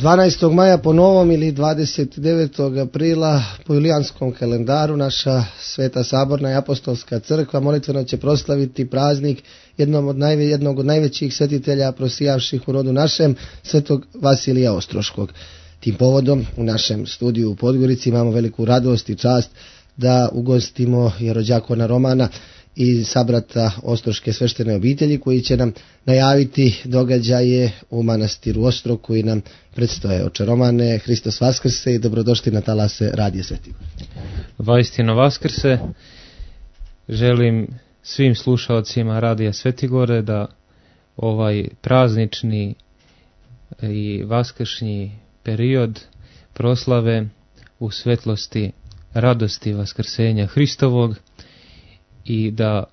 12. maja po novom ili 29. aprila po julijanskom kalendaru naša Sveta Saborna i Apostolska crkva molitveno će proslaviti praznik jednog od najvećih svetitelja prosijavših u rodu našem, svetog Vasilija Ostroškog. Tim povodom u našem studiju u Podgorici imamo veliku radost i čast da ugostimo jerođakona Romana i sabrata Ostroške sveštene obitelji koji će nam najaviti događaje u manastiru Ostrog koji nam predstoje. Oče Romane, Hristos Vaskrse i dobrodošli na talase Radija Svetigore. Vaistino Vaskrse, želim svim slušalcima Radija Svetigore da ovaj praznični i vaskršnji period proslave u svetlosti radosti Vaskrsenja Hristovog i da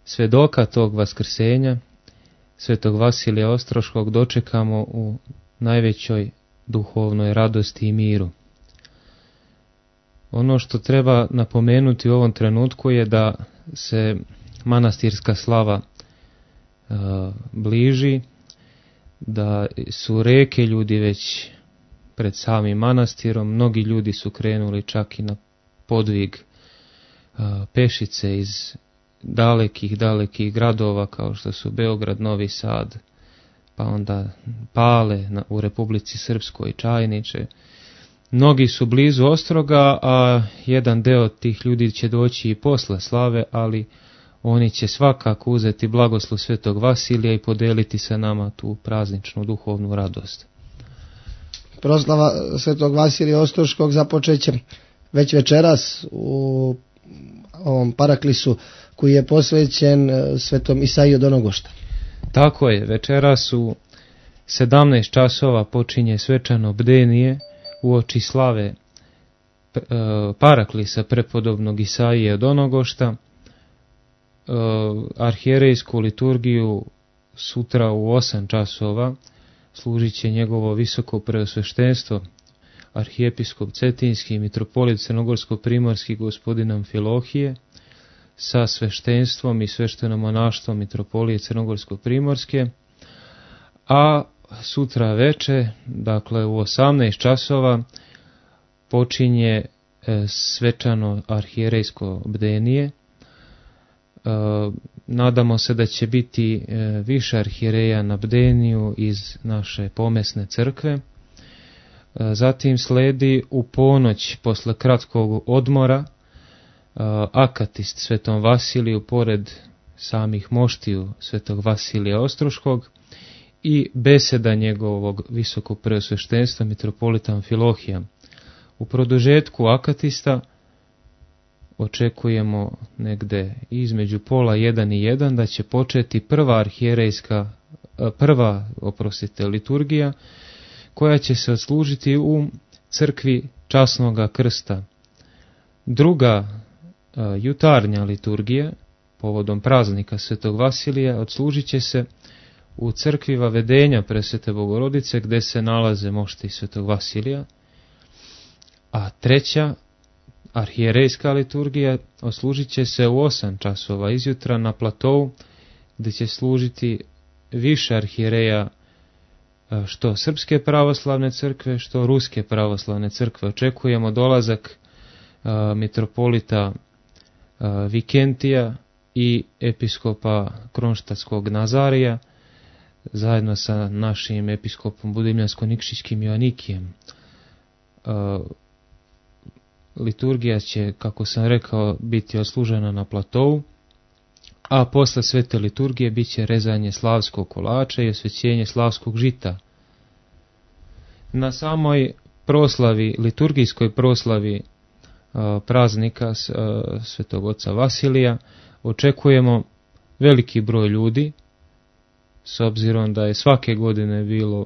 svedoka tog Vaskrsenja, svetog Vasilija Ostroškog, dočekamo u najvećoj duhovnoj radosti i miru. Ono što treba napomenuti u ovom trenutku je da se manastirska slava bliži, da su reke ljudi već pred samim manastirom, mnogi ljudi su krenuli čak i na podvig pešice iz dalekih gradova kao što su Beograd, Novi Sad, pa onda Pale u Republici Srpskoj, Čajniče. Mnogi su blizu Ostroga, a jedan deo tih ljudi će doći i posle slave, ali oni će svakako uzeti blagoslov svetog Vasilija i podeliti sa nama tu prazničnu duhovnu radost. Proslava svetog Vasilija Ostroškog započeće već večeras u ovom paraklisu koji je posvećen svetom Isaiji od Onogošta. Tako je, večeras u 17 časova počinje svečano bdenije uoči slave paraklisa prepodobnog Isaije od Onogošta. Arhijerejsku liturgiju sutra u 8 časova služit će njegovo visoko preosveštenstvo arhijepiskop Cetinski, mitropolit Crnogorsko-primorski gospodin Amfilohije sa sveštenstvom i sveštenomonaštvom mitropolije Crnogorsko-primorske, a sutra veče, dakle u 18 časova, počinje svečano arhijerejsko bdenije. Nadamo se da će biti više arhijereja na bdeniju iz naše pomesne crkve. Zatim sledi u ponoć posle kratkog odmora akatist svetom Vasiliju pored samih moštiju svetog Vasilija Ostroškog i beseda njegovog visokog preosveštenstva mitropolita Amfilohija. U produžetku akatista očekujemo negde između pola 1 i 1 da će početi prva liturgija koja će se odslužiti u crkvi Časnoga Krsta. Druga jutarnja liturgija povodom praznika svetog Vasilija odslužit će se u crkvi Vavedenja Presvete Bogorodice gdje se nalaze mošti svetog Vasilija, a treća arhijerejska liturgija odslužit će se u 8 časova izjutra na platovu gdje će služiti više arhijereja što Srpske pravoslavne crkve, što Ruske pravoslavne crkve. Očekujemo dolazak mitropolita Vikentija i episkopa Kronštatskog Nazarija zajedno sa našim episkopom Budimljansko-Nikšićkim Joanikijem. Liturgija će, kako sam rekao, biti odslužena na platovu, a posle svete liturgije bit će rezanje slavskog kolača i osvećenje slavskog žita. Na samoj proslavi, liturgijskoj proslavi praznika svetog oca Vasilija očekujemo veliki broj ljudi, s obzirom da je svake godine bilo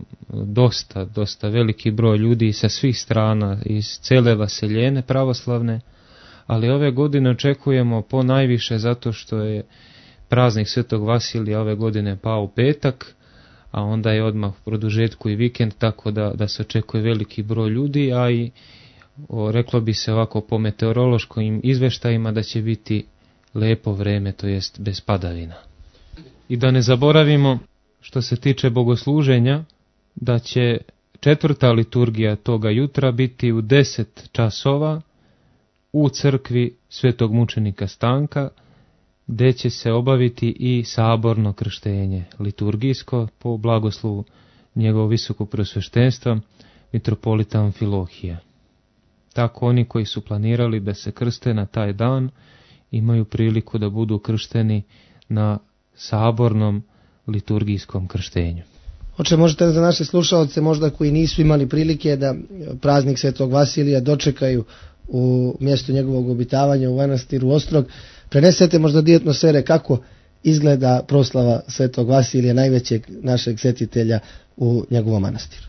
dosta veliki broj ljudi sa svih strana, iz cele Vaseljene pravoslavne, ali ove godine očekujemo po najviše zato što je praznik svetog Vasilija ove godine pao u petak, a onda je odmah u produžetku i vikend, tako da se očekuje veliki broj ljudi, a i reklo bi se ovako po meteorološkim izveštajima da će biti lepo vreme, to jest bez padavina. I da ne zaboravimo, što se tiče bogosluženja, da će četvrta liturgija toga jutra biti u 10 časova u crkvi Svetog mučenika Stanka, gdje će se obaviti i saborno krštenje liturgijsko po blagoslovu njegovog visokog preosveštenstva mitropolita Amfilohija. Tako oni koji su planirali da se krste na taj dan imaju priliku da budu kršteni na sabornom liturgijskom krštenju. Oče, možete za naše slušalce, možda koji nisu imali prilike da praznik Svetog Vasilija dočekaju u mjestu njegovog obitavanja u manastiru Ostrog, prenesete možda dio atmosfere kako izgleda proslava Svetog Vasilija, najvećeg našeg svetitelja u njegovom manastiru.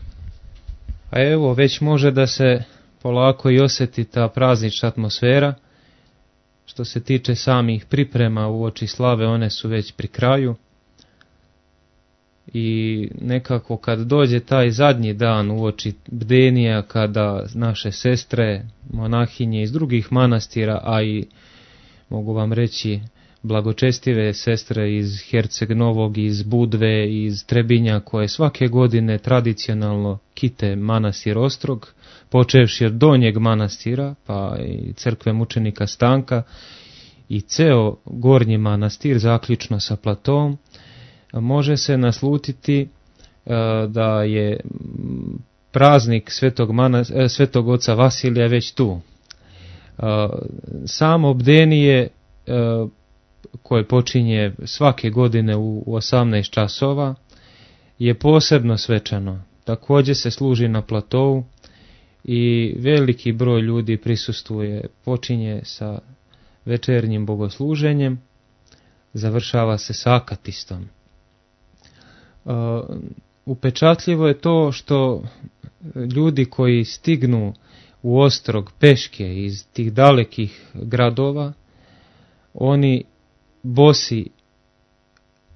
A evo, već može da se polako i osjeti ta praznična atmosfera. Što se tiče samih priprema uoči slave, one su već pri kraju. I nekako kad dođe taj zadnji dan uoči bdenija, kada naše sestre, monahinje iz drugih manastira, a i mogu vam reći blagočestive sestre iz Herceg Novog, iz Budve, iz Trebinja, koje svake godine tradicionalno kite manastir Ostrog, počevši od donjeg manastira, pa i crkve mučenika Stanka i ceo gornji manastir, zaključno sa Platovom, može se naslutiti da je praznik Svetog oca Vasilija već tu. Samo bdenije koje počinje svake godine u 18 časova je posebno svečano. Također se služi na Platovu i veliki broj ljudi prisustvuje, počinje sa večernjim bogosluženjem, završava se sa akatistom. Upečatljivo je to što ljudi koji stignu u Ostrog peške iz tih dalekih gradova, oni bosi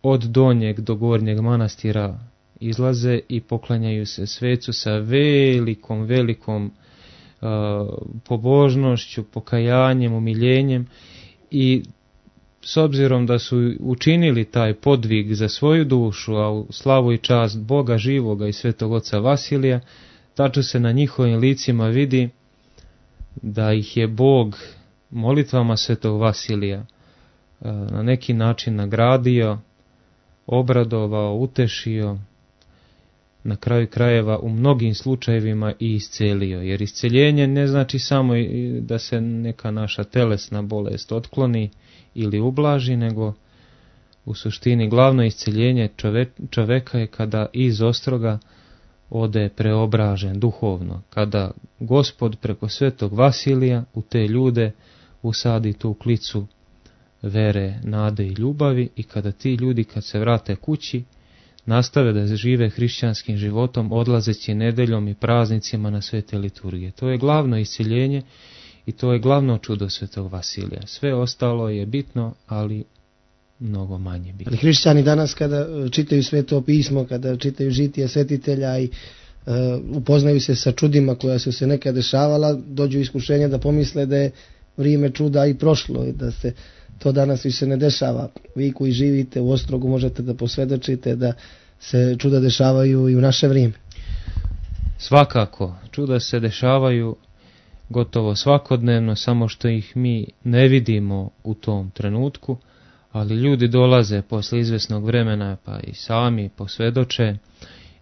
od donjeg do gornjeg manastira izlaze i poklanjaju se svecu sa velikom pobožnošću, pokajanjem, umiljenjem, i s obzirom da su učinili taj podvig za svoju dušu, a u slavu i čast Boga živoga i Svetog oca Vasilija, tačno se na njihovim licima vidi da ih je Bog molitvama Svetog Vasilija na neki način nagradio, obradovao, utešio, na kraju krajeva u mnogim slučajevima i iscelio. Jer isceljenje ne znači samo da se neka naša telesna bolest otkloni ili ublaži, nego u suštini glavno isceljenje čoveka je kada iz Ostroga ode preobražen duhovno, kada Gospod preko Svetog Vasilija u te ljude usadi tu klicu vere, nade i ljubavi, i kada ti ljudi kad se vrate kući nastave da žive hrišćanskim životom, odlazeći nedeljom i praznicima na svete liturgije. To je glavno isceljenje i to je glavno čudo Svetog Vasilija. Sve ostalo je bitno, ali mnogo manje bitno. Ali hrišćani danas kada čitaju Sveto pismo, kada čitaju žitije svetitelja i upoznaju se sa čudima koja su se nekad dešavala, dođu iskušenja da pomisle da je vrijeme čuda i prošlo i da se to danas više ne dešava. Vi koji živite u Ostrogu možete da posvjedočite da se čuda dešavaju i u naše vrijeme. Svakako, čuda se dešavaju gotovo svakodnevno, samo što ih mi ne vidimo u tom trenutku, ali ljudi dolaze posle izvesnog vremena pa i sami posvjedoče,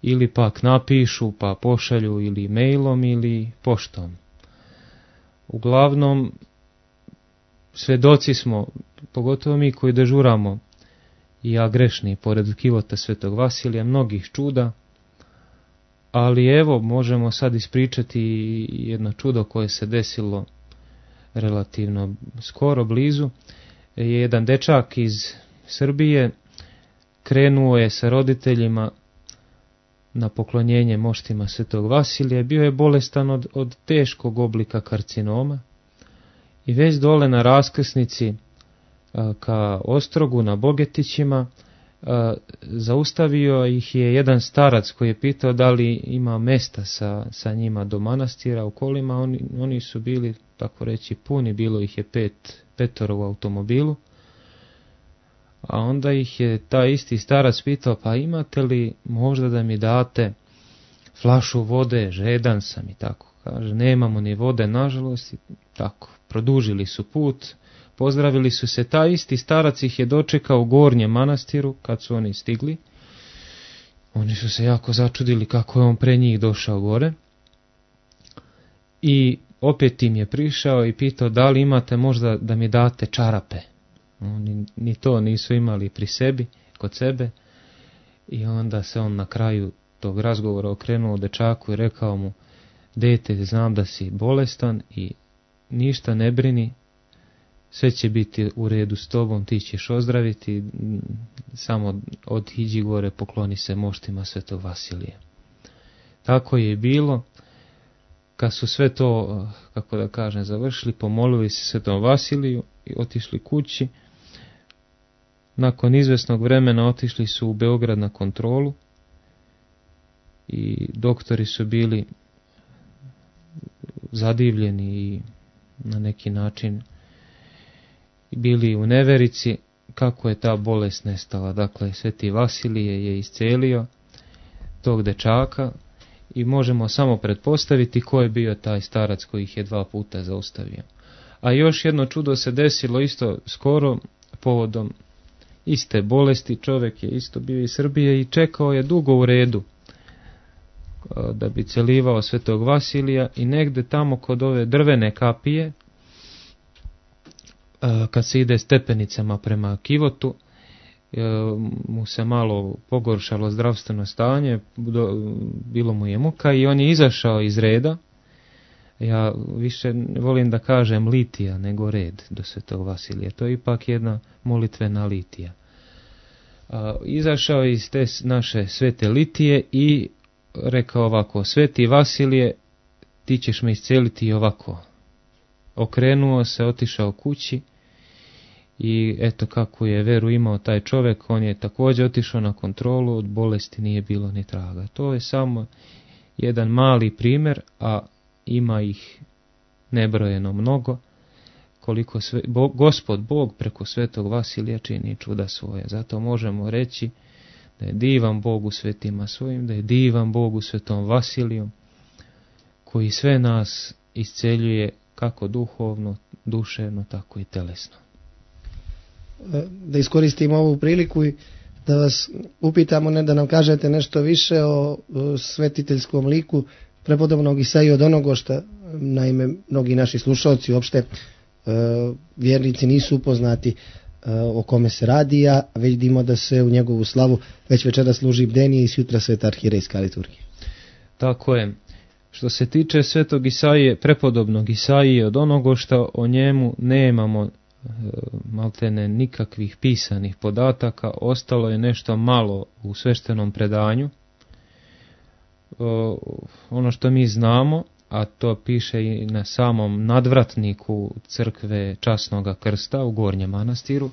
ili pak napišu pa pošalju ili mailom ili poštom. Uglavnom, svedoci smo, pogotovo mi koji dežuramo, i ja grešni, pored kivota Svetog Vasilija, mnogih čuda, ali evo možemo sad ispričati jedno čudo koje se desilo relativno skoro, blizu. Jedan dečak iz Srbije krenuo je sa roditeljima na poklonjenje moštima Svetog Vasilija, bio je bolestan od teškog oblika karcinoma i već dole na raskrsnici ka Ostrogu na Bogetićima zaustavio ih je jedan starac koji je pitao da li ima mesta sa njima do manastira u kolima. Oni su bili, tako reći, puni, bilo ih je petoro u automobilu. A onda ih je taj isti starac pitao, pa imate li možda da mi date flašu vode, žedan sam i tako. Kaže, nemamo ni vode, nažalost, i tako. Produžili su put, pozdravili su se, taj isti starac ih je dočekao u Gornjem manastiru kad su oni stigli. Oni su se jako začudili kako je on pre njih došao gore. I opet im je prišao i pitao da li imate možda da mi date čarape. Oni ni to nisu imali pri sebi, kod sebe. I onda se on na kraju tog razgovora okrenuo dečaku i rekao mu, dete, znam da si bolestan i ništa ne brini, sve će biti u redu s tobom, ti ćeš ozdraviti, samo otiđi gore, pokloni se moštima Svetog Vasilija. Tako je bilo. Kad su sve to, kako da kažem, završili, pomolili se Svetom Vasiliju i otišli kući. Nakon izvesnog vremena otišli su u Beograd na kontrolu i doktori su bili zadivljeni i na neki način bili u neverici kako je ta bolest nestala. Dakle, Sveti Vasilije je iscelio tog dečaka i možemo samo pretpostaviti ko je bio taj starac koji ih je 2 puta zaustavio. A još jedno čudo se desilo isto skoro povodom iste bolesti. Čovjek je isto bio iz Srbije i čekao je dugo u redu da bi celivao Svetog Vasilija i negde tamo kod ove drvene kapije, kad se ide stepenicama prema Kivotu, mu se malo pogoršalo zdravstveno stanje, bilo mu je muka i on je izašao iz reda. Ja više volim da kažem litija nego red do Svetog Vasilija. To je ipak jedna molitvena litija. Izašao iz te naše svete litije i rekao ovako, Sveti Vasilije, ti ćeš me isceliti ovako. Okrenuo se, otišao kući i eto kako je veru imao taj čovjek, on je također otišao na kontrolu, od bolesti nije bilo ni traga. To je samo jedan mali primjer, a ima ih nebrojeno mnogo, koliko Gospod Bog preko Svetog Vasilija čini čuda svoje. Zato možemo reći da je divan Bog u svetima svojim, da je divan Bog u Svetom Vasiliju, koji sve nas isceljuje kako duhovno, duševno, tako i telesno. Da iskoristim ovu priliku i da vas upitamo, ne da nam kažete nešto više o svetiteljskom liku prepodobnog Isaije od Onogošta. Naime, mnogi naši slušalci uopšte vjernici nisu upoznati o kome se radi, a vidimo da se u njegovu slavu već večera služi bdenije i sutra sveta arhirejska liturgija. Tako je. Što se tiče Svetog Isaije, prepodobnog Isaije od Onogošta, o njemu nemamo maltene nikakvih pisanih podataka, ostalo je nešto malo u sveštenom predanju. Ono što mi znamo, a to piše i na samom nadvratniku crkve Časnoga Krsta u Gornjem manastiru,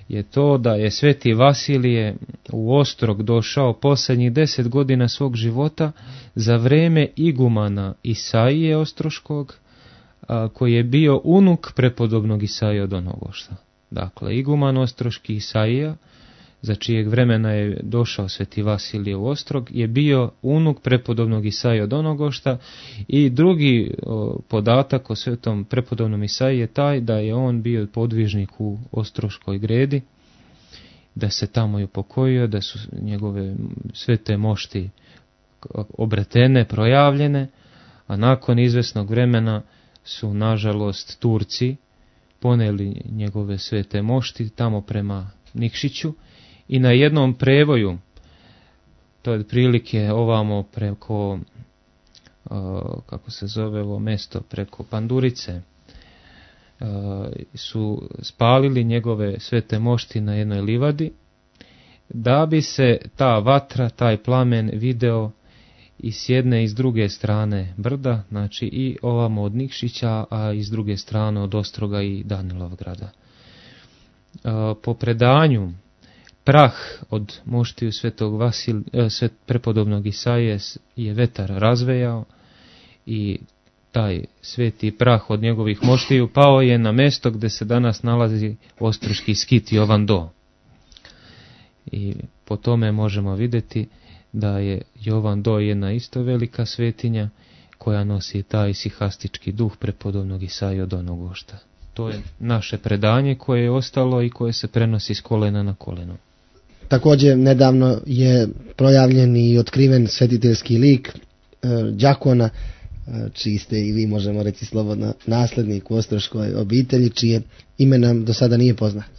je to da je Sveti Vasilije u Ostrog došao posljednjih 10 godina svog života za vreme igumana Isaije Ostroškog, koji je bio unuk prepodobnog Isaije od Onogošta. Dakle, iguman Ostroški Isaija, za čijeg vremena je došao Sveti Vasilije u Ostrog, je bio unuk prepodobnog Isaije od Onogošta. I drugi podatak o svetom prepodobnom Isaiji je taj da je on bio podvižnik u Ostroškoj gredi, da se tamo i upokojio, da su njegove svete mošti obretene, projavljene, a nakon izvesnog vremena su nažalost Turci poneli njegove svete mošti tamo prema Nikšiću i na jednom prevoju, to je otprilike ovamo preko, kako se zove ovo mesto, preko Pandurice, su spalili njegove svete mošti na jednoj livadi, da bi se ta vatra, taj plamen video i s jedne i s druge strane brda, znači i ovamo od Nikšića, a i s druge strane od Ostroga i Danilovgrada. Po predanju, prah od moštiju Svetog prepodobnog Isaije je vetar razvejao i taj sveti prah od njegovih moštiju pao je na mesto gdje se danas nalazi ostroški skit Jovan Do. I po tome možemo vidjeti da je Jovan Doj jedna isto velika svetinja koja nosi taj sihastički duh prepodobnog Isaije od Onogošta. To je naše predanje koje je ostalo i koje se prenosi s kolena na koleno. Također nedavno je projavljen i otkriven svetiteljski lik đakona, čiji ste i vi, možemo reći slobodno, naslednik u ostroškoj obitelji, čije ime nam do sada nije poznato.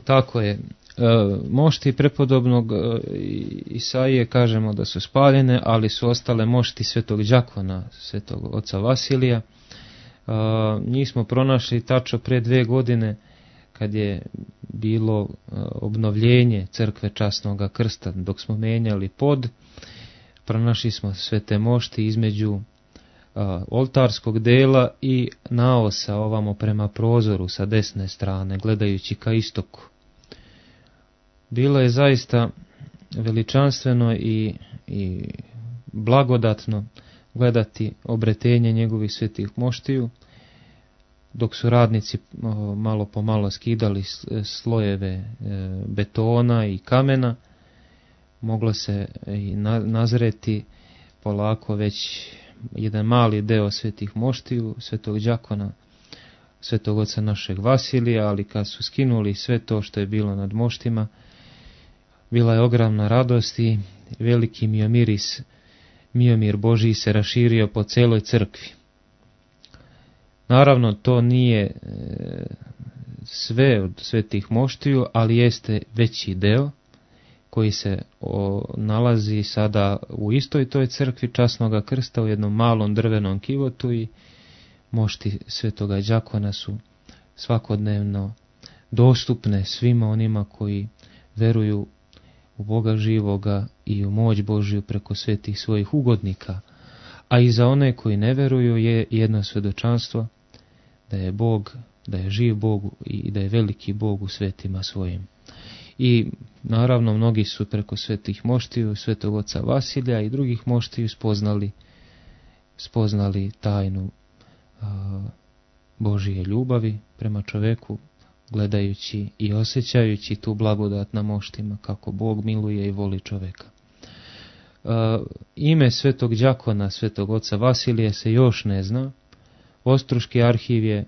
Tako je. Mošti prepodobnog Isaije kažemo da su spaljene, ali su ostale mošti svetog đakona, svetog oca Vasilija. Njih smo pronašli tačno pre 2 godine kad je bilo obnovljenje crkve Časnoga Krsta. Dok smo menjali pod, pronašli smo sve te mošti između oltarskog dela i naosa ovamo prema prozoru sa desne strane, gledajući ka istoku. Bilo je zaista veličanstveno i blagodatno gledati obretenje njegovih svetih moštiju, dok su radnici malo po malo skidali slojeve betona i kamena. Moglo se i nazreti polako već jedan mali deo svetih moštiju, svetog đakona, svetog oca našeg Vasilija, ali kad su skinuli sve to što je bilo nad moštima, bila je ogromna radost i veliki miomir Božiji se raširio po celoj crkvi. Naravno, to nije sve od svetih moštiju, ali jeste veći deo koji se nalazi sada u istoj toj crkvi Časnoga Krsta u jednom malom drvenom kivotu i mošti svetoga đakona su svakodnevno dostupne svima onima koji veruju u Boga živoga i u moć Božju preko svetih svojih ugodnika. A i za one koji ne veruju je jedno svjedočanstvo da je Bog, da je živ Bog i da je veliki Bog u svetima svojim. I naravno mnogi su preko svetih moštiju, svetog oca Vasilija i drugih moštiju spoznali tajnu Božije ljubavi prema čoveku, gledajući i osjećajući tu blagodat na moštima, kako Bog miluje i voli čoveka. Ime svetog đakona, svetog oca Vasilija se još ne zna. Ostroški arhiv je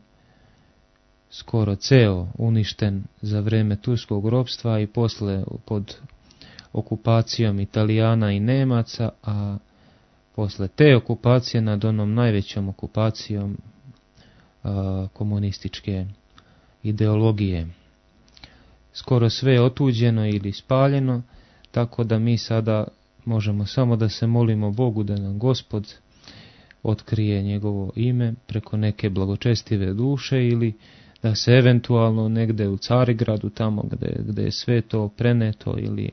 skoro ceo uništen za vreme turskog ropstva i posle pod okupacijom Italijana i Nemaca, a posle te okupacije nad onom najvećom okupacijom komunističke ideologije. Skoro sve je otuđeno ili spaljeno, tako da mi sada možemo samo da se molimo Bogu da nam Gospod otkrije njegovo ime preko neke blagočestive duše ili da se eventualno negde u Carigradu, tamo gde je sve to preneto ili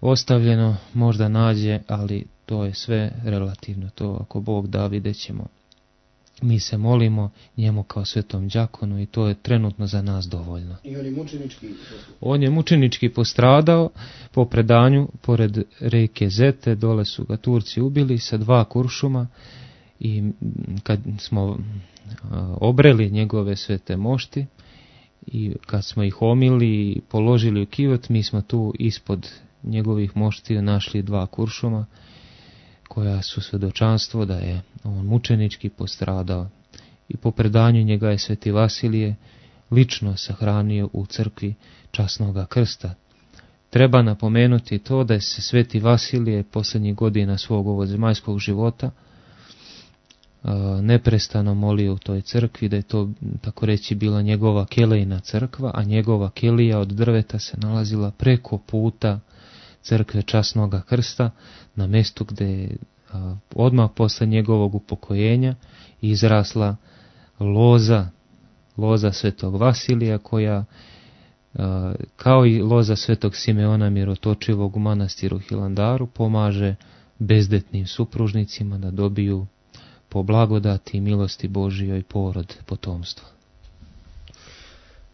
ostavljeno, možda nađe, ali to je sve relativno. To ako Bog da, vidjet ćemo. Mi se molimo njemu kao svetom đakonu i to je trenutno za nas dovoljno. I on je mučenički? On je mučenički postradao po predanju pored reke Zete, dole su ga Turci ubili sa 2 kuršuma i kad smo obreli njegove svete mošti i kad smo ih omili i položili u kivot, mi smo tu ispod njegovih moštiju našli 2 kuršuma koja su svjedočanstvo da je on mučenički postradao i po predanju njega je sveti Vasilije lično sahranio u crkvi Časnoga Krsta. Treba napomenuti to da je se sveti Vasilije posljednjih godina svog ovozemaljskog života neprestano molio u toj crkvi, da je to, tako reći, bila njegova kelejna crkva, a njegova kelija od drveta se nalazila preko puta crkve Časnoga Krsta, na mjestu gdje je odmah posle njegovog upokojenja izrasla loza svetog Vasilija, koja kao i loza svetog Simeona Mirotočivog u manastiru Hilandaru pomaže bezdetnim supružnicima da dobiju po blagodati i milosti Božijoj porod potomstva.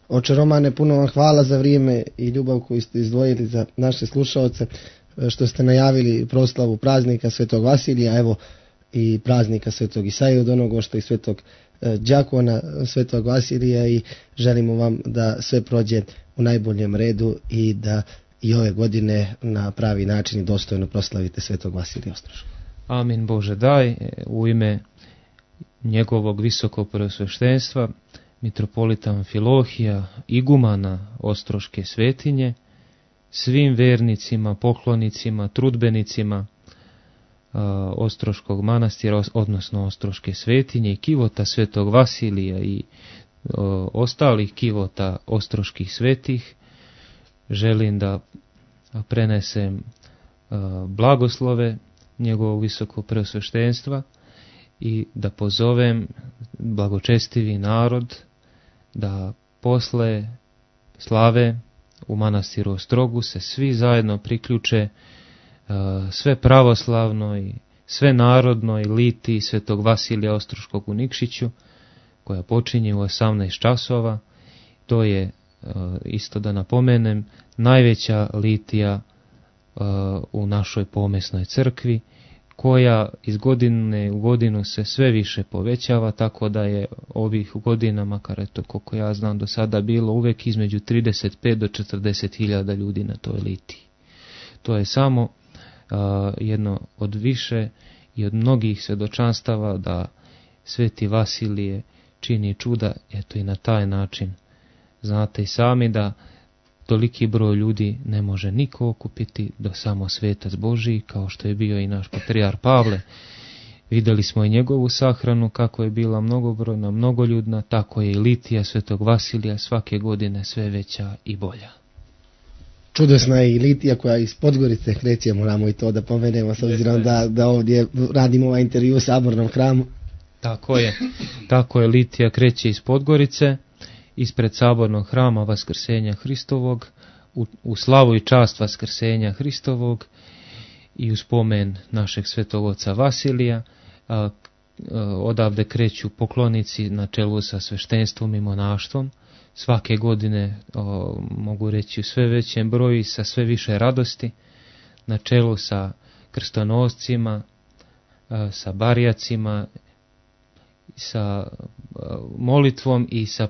Oče Romane, puno vam hvala za vrijeme i ljubav koju ste izdvojili za naše slušaoce, što ste najavili proslavu praznika svetog Vasilija, evo i praznika svetog Isaije od Onogošta i svetog đakona svetog Vasilija, i želimo vam da sve prođe u najboljem redu i da i ove godine na pravi način i dostojno proslavite svetog Vasilija Ostroškog. Amin Bože daj, u ime njegovog visokog preosveštenstva, mitropolita Amfilohija, igumana Ostroške svetinje, svim vernicima, poklonicima, trudbenicima Ostroškog manastira, odnosno Ostroške svetinje i kivota svetog Vasilija i ostalih kivota ostroških svetih, želim da prenesem blagoslove njegovog visokog preosveštenstva i da pozovem blagočestivi narod da posle slave u manastiru Ostrogu se svi zajedno priključe sve pravoslavno i sve narodnoj litiji svetog Vasilija Ostroškog u Nikšiću, koja počinje u 18 časova. To je, isto da napomenem, najveća litija u našoj pomesnoj crkvi, koja iz godine u godinu se sve više povećava, tako da je ovih godina, makar eto koliko ja znam do sada, bilo uvek između 35 do 40 hiljada ljudi na toj litiji. To je samo jedno od više i od mnogih svedočanstava da sveti Vasilije čini čuda, eto i na taj način. Znate i sami da toliki broj ljudi ne može niko okupiti do samo svetac Božiji, kao što je bio i naš patrijar Pavle. Vidjeli smo i njegovu sahranu, kako je bila mnogobrojna, mnogoljudna, tako je i litija svetog Vasilija svake godine sve veća i bolja. Čudesna je i litija koja iz Podgorice kreće, moramo i to da pomenemo, s obzirom da ovdje radimo ovaj intervju u Sabornom hramu. Tako je, litija kreće iz Podgorice, ispred Sabornog hrama Vaskrsenja Hristovog, u slavu i čast Vaskrsenja Hristovog i u spomen našeg svetog oca Vasilija. Odavde kreću poklonici na čelu sa sveštenstvom i monaštvom. Svake godine, mogu reći u sve većem broju i sa sve više radosti, na čelu sa krstonoscima, sa barijacima, sa molitvom i sa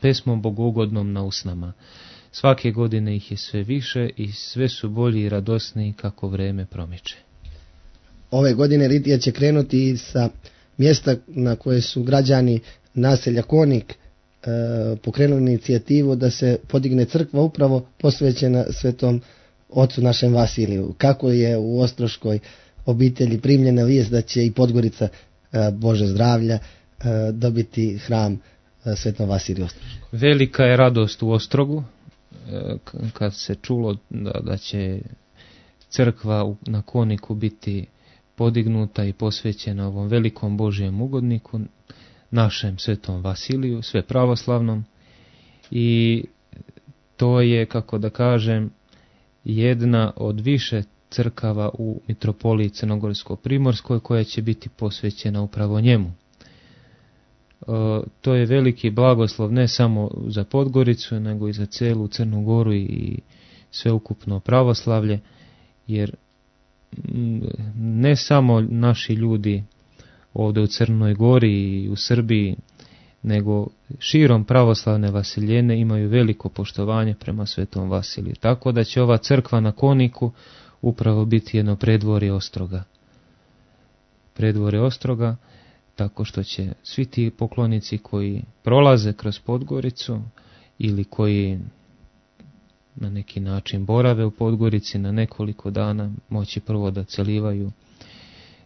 pesmom bogougodnom na usnama. Svake godine ih je sve više i sve su bolji i radosniji kako vreme promiče. Ove godine litija će krenuti sa mjesta na koje su građani naselja Konik pokrenuli inicijativu da se podigne crkva upravo posvećena svetom ocu našem Vasiliju. Kako je u Ostroškoj obitelji primljena vijest da će i Podgorica, Bože zdravlja, dobiti hram svetom Vasiliju Ostroškom? Velika je radost u Ostrogu kad se čulo da će crkva na Koniku biti podignuta i posvećena ovom velikom Božijem ugodniku, našem svetom Vasiliju, sve pravoslavnom, i to je, kako da kažem, jedna od više crkava u mitropoliji Crnogorsko-Primorskoj koja će biti posvećena upravo njemu. To je veliki blagoslov ne samo za Podgoricu, nego i za celu Crnu Goru i sveukupno pravoslavlje, jer ne samo naši ljudi ovdje u Crnoj Gori i u Srbiji, nego širom pravoslavne Vasiljene imaju veliko poštovanje prema svetom Vasiliju. Tako da će ova crkva na Koniku upravo biti jedno predvorje Ostroga. Predvorje Ostroga, tako što će svi ti poklonici koji prolaze kroz Podgoricu ili koji na neki način borave u Podgorici na nekoliko dana moći prvo da celivaju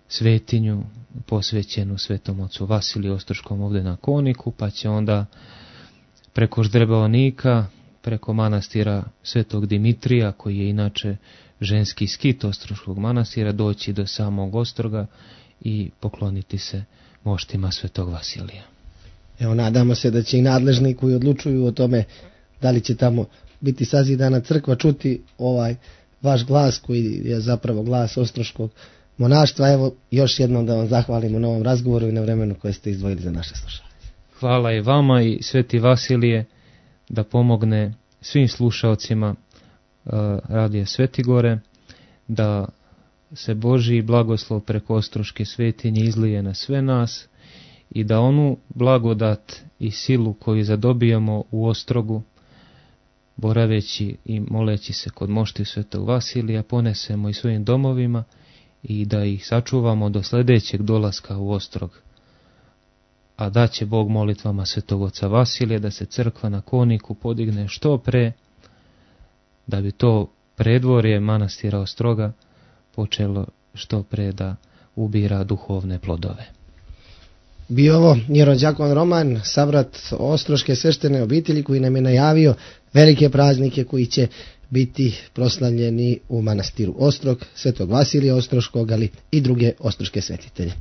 svetinju posvećenu svetom ocu Vasiliju Ostroškom ovdje na Koniku, pa će onda preko Ždrebaonika, preko manastira svetog Dimitrija, koji je inače ženski skit Ostroškog manastira, doći do samog Ostroga i pokloniti se moštima svetog Vasilija. Evo, nadamo se da će i nadležni koji odlučuju o tome da li će tamo biti sazidana crkva čuti ovaj vaš glas koji je zapravo glas Ostroškog monaštva. Evo, još jednom da vam zahvalimo na ovom razgovoru i na vremenu koje ste izdvojili za naše slušanje. Hvala i vama i sveti Vasilije da pomogne svim slušaocima radija Svetigore, da se Božji blagoslov preko Ostroške svetinje izlije na sve nas i da onu blagodat i silu koju zadobijamo u Ostrogu boraveći i moleći se kod moštiju Svetog Vasilija, ponesemo i svojim domovima i da ih sačuvamo do sljedećeg dolaska u Ostrog. A da će Bog molitvama Svetog Oca Vasilija da se crkva na Koniku podigne što pre, da bi to predvorje manastira Ostroga počelo što pre da ubira duhovne plodove. Bio ovo jerodjakon Roman, sabrat Ostroške sveštene obitelji, koji nam je najavio velike praznike koji će biti proslavljeni u manastiru Ostrog, Svetog Vasilija Ostroškog, ali i druge ostroške svetitelje.